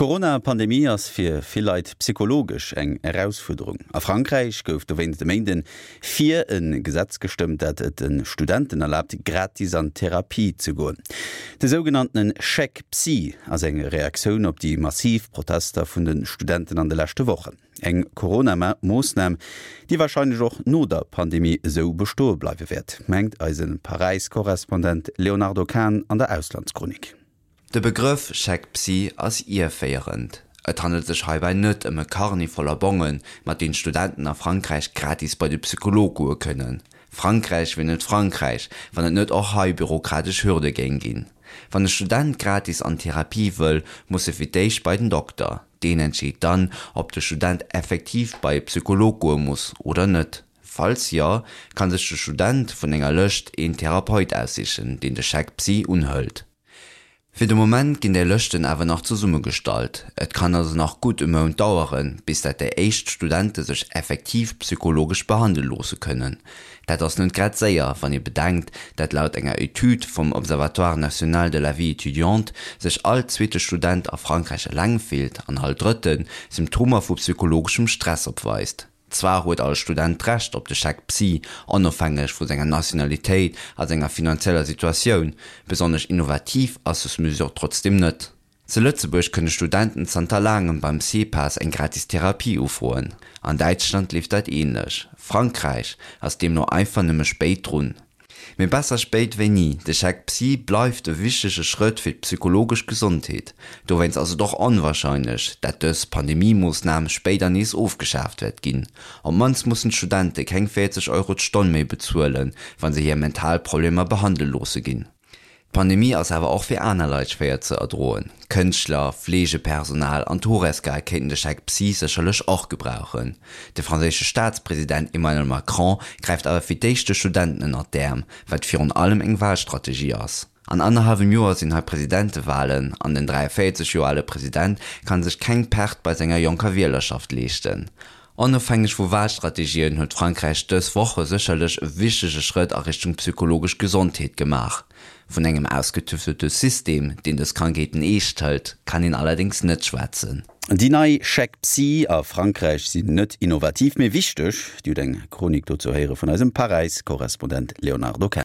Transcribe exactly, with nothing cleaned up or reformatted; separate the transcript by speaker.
Speaker 1: D'Corona-Pandemie ass fir vill Leit psychologesch eng Erausfuerderung. A Frankräich gouf dowéinst e Méinden fir e Gesetz gestëmmt, dat et de Studenten erlaabt, gratis an Therapie ze goen. De sougenanntene Chèque Psy ass eng Reaktioun op déi massiv Protester vun de Studenten an de leschte Wochen. Eng Corona-Moossnam, déi warscheinlech och no der Pandemie esou bestoe bleiwe wäert, mengt eise Paräis-Korrespondent Léonardo Kahn an der Auslandschronik.
Speaker 2: De Begrëff Chèque Psy ass ierféierend. Et handelt sech heibäi net ëm e Carnet voller Bongen, mat deenen d'Studenten a Frankräich gratis bei de Psycholog goe kënnen. Frankräich wier net Frankräich, wann et net och hei bürokratesch Hürde géing ginn. Wann e Student gratis an Therapie wëll, muss e fir d'éischt bei den Dokter. Deen entscheet dann, ob de Student effektiv bei e Psycholog goe muss oder net. Falls jo, ka sech de Student vun enger Lëscht een Therapeut aussichen, deen de Chèque Psy unhëlt. Fir de Moment ginn déi Lëschten awer nach zesummegestallt. Et kann also nach gutt e Mount daueren, bis dat déi éischt Studente sech effektiv psychologesch behandele loosse kënnen. Dat ass net grad séier, wann ee bedenkt, dat laut enger Etüd vum Observatoire national de la vie étudiante sech all zweete Student a Frankräich eleng fillt an all drëtte Symptomer vu psychologeschem Stress opweist. Zwar huet all Student d'Recht op de Chèque Psy, onofhängeg vu senger Nationalitéit a senger finanzieller Situatioun, besonnesch innovativ ass des Mesure trotzdeem net. Zu Lëtzebuerg kënne Studenten zanter laangem beim CPAS eng gratis Therapie ufroen. An Däitschland leeft dat änlech. Frankräich ass deemno einfach nëmme spéit drun. Mee besser spéit wéi ni, de Chèque Psy bleift e wichtege Schrëtt fir d'psychologesch Gesondheet. Dowéinst ass et och onwarscheinlech, dat dës Pandemie-Moossnam spéider nees ofgeschaaft wäert ginn. Op d'mannst mussen d'Studente keng véierzeg Euro d'Stonn méi bezuelen, wa se hir mental Problemer behandele loosse ginn. D'Pandemie ass awer och fir aner Leit schwéier ze erdroen. Kënschtler, Fleegepersonal an d'Horesca kéinten de Chèque Psy sécherlech och gebrauchen. De franséische Staatspresident Emmanuel Macron gräift awer fir d'éischt de Studenten ënnert d'Äerm, wat virun allem eng Walstrategie ass. An annerhallwem Joer sinn hei Presidentewalen an den dräiavéierzeg Joer ale President ka sech keng Perte bei senger jonker Wielerschaft leeschten. Onofhängeg vu Walstrategien huet Frankräich dës Woche sécherlech e wichtege Schrëtt a Richtung psychologesch Gesondheet gemaach. Vun engem ausgetüftelte System, deen dës Krankheeten eescht hëlt, kann een allerdéngs net schwätzen.
Speaker 1: Déi nei Chèque Psy a Frankräich sinn net innovativ, mee wichteg. Dir hutt eng Chronik dozou héiere vun eisem Paräis-Korrespondent Léonardo Kahn.